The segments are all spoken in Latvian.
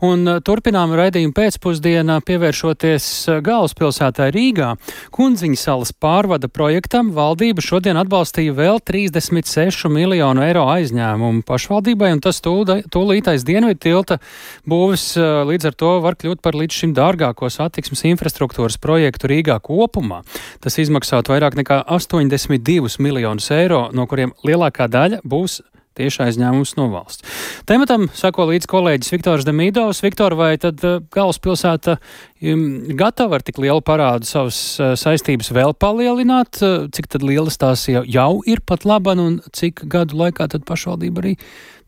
Un turpinām raidījumu pēcpusdienā pievēršoties galvaspilsētai Rīgā. Kundziņu salas pārvada projektam valdība šodien atbalstīja vēl 36 miljonu eiro aizņēmumu pašvaldībai, un tas tūlītais dienvidu tilta būvis līdz ar to var kļūt par līdz šim dārgāko satiksmes infrastruktūras projektu Rīgā kopumā. Tas izmaksātu vairāk nekā 82 miljonus eiro, no kuriem lielākā daļa būs tieši aizņēmums no valsts. Tematam sako līdz kolēģis Viktors Demidovs. Viktor, vai tad galvaspilsēta gatava ar tik lielu parādu savas saistības vēl palielināt? Cik tad lielas tās jau ir pat laban, un cik gadu laikā tad pašvaldība arī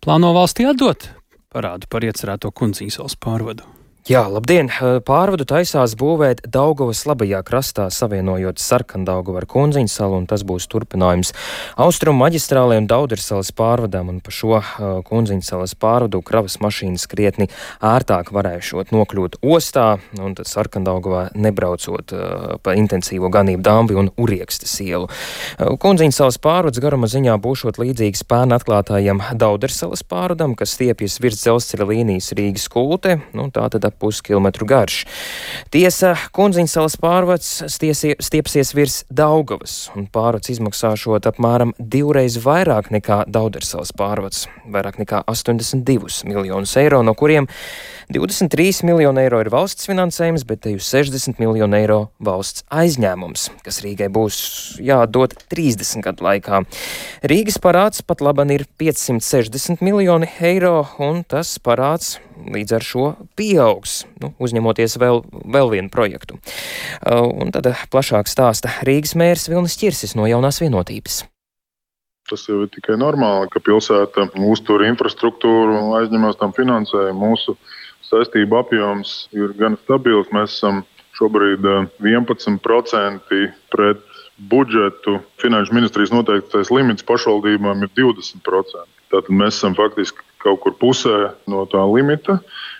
plāno valstī atdot parādu par iecerēto Kundziņu salas pārvadu? Jā, labdien! Pārvadu taisās būvēt Daugavas labajā krastā, savienojot Sarkandaugavu ar Kundziņu salu, un tas būs turpinājums Austrumu maģistrālei un Daudersalas pārvadām, un pa šo Kundziņu salas pārvadu kravas mašīnas krietni ērtāk varēšot nokļūt ostā, un tad Sarkandaugavā nebraucot pa intensīvo ganību Dambi un Uriekstes ielu. Kundziņu salas pārvads garuma ziņā būšot līdzīgs pērn atklātājam Daudersalas pārvadam, kas stiepjas virs dzelzceļa līnijas Rīgas Kulte, tātad ap puskilometru garš. Tiesa, Kundziņu salas pārvads stiepsies virs Daugavas, un pārvads izmaksāšot apmēram 2 reizes vairāk nekā Daudersalas pārvads, vairāk nekā 82 miljonus eiro, no kuriem 23 miljoni eiro ir valsts finansējums, bet te 60 miljoni eiro valsts aizņēmums, kas Rīgai būs jādod 30 gadu laikā. Rīgas parāds pat laban ir 560 miljoni eiro, un tas parāds līdz ar šo pieaugs, uzņemoties vēl vienu projektu. Un tad plašāk stāsta Rīgas mērs Vilnis Ķirsis no Jaunās Vienotības. Tas jau ir tikai normāli, ka pilsēta uztur infrastruktūru un aizņemās tam finansējumu. Mūsu saistību apjoms ir gan stabils. Mēs esam šobrīd 11% pret budžetu. Finanšu ministrijas noteiktais limits pašvaldībām ir 20%. Tātad mēs esam faktiski kaut kur pusē no tā limita.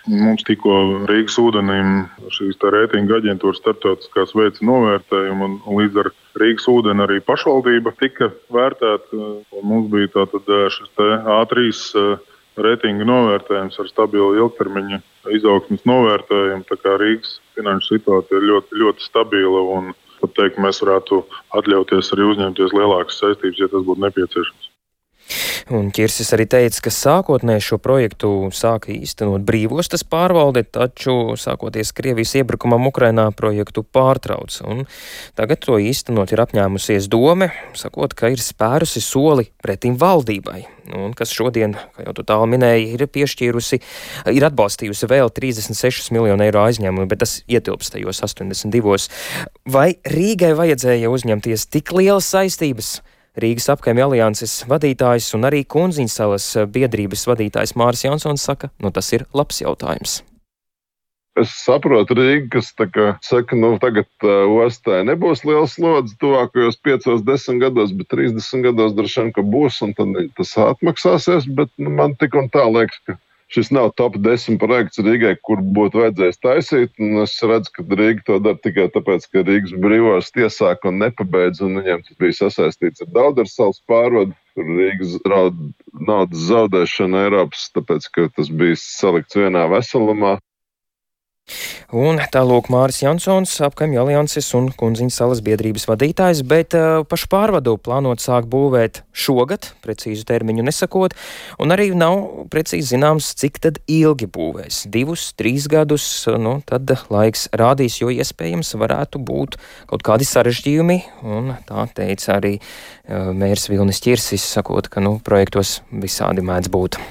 Mums tikko Rīgas ūdenim šīs reitinga aģentūras starptautiskās veica novērtējumu, un līdz ar Rīgas ūdeni arī pašvaldība tika vērtēta. Mums bija tātad šis A3 reitinga novērtējums ar stabilu ilgtermiņa izaugsmes novērtējumu. Tā kā Rīgas finanšu situācija ir ļoti, ļoti stabila, un pat teikt, mēs varētu atļauties arī uzņemties lielākas saistības, ja tas būtu nepieciešams. Un Ķirsis arī teica, ka sākotnēji šo projektu sāka īstenot brīvostas pārvalde, taču sākoties Krievijas iebrukumam Ukrainā projektu pārtrauc. Un tagad to īstenot ir apņēmusies dome, sakot, ka ir spērusi soli pretim valdībai. Un kas šodien, kā jau tu tālu minēji, ir atbalstījusi vēl 36 miljonu eiro aizņēmumu, bet tas ietilpst tajos 82. Vai Rīgai vajadzēja uzņemties tik lielas saistības? Rīgas apkaimju alianses vadītājs un arī Kundziņu salas biedrības vadītājs Māris Jansons saka, tas ir labs jautājums. Es saprotu Rīgu, kas saka, tagad ostai nebūs liels slodzi tuvākajos 5-10 gados, bet 30 gados droši vien, ka būs, un tad tas atmaksāsies, bet man tik un tā liekas, ka šis nav top 10 projekts Rīgai, kur būtu vajadzējis taisīt, un es redzu, ka Rīga to dara tikai tāpēc, ka Rīgas brīvos iesāka un nepabeidz, un viņiem tas bija sasaistīts ar Daudersalas pārvadu, kur Rīgas draud naudas zaudēšana Eiropas, tāpēc, ka tas bija salikts vienā veselumā. Un tālūk Māris Jansons, apkaimju alianses un Kundziņu salas biedrības vadītājs, bet pašu pārvadu plānot sākt būvēt šogad, precīzu termiņu nesakot, un arī nav precīzi zināms, cik tad ilgi būvēs. 2-3 gadus, tad laiks rādīs, jo iespējams varētu būt kaut kādi sarežģījumi, un tā teica arī mērs Vilnis Ķirsis, sakot, ka projektos visādi mēdz būt.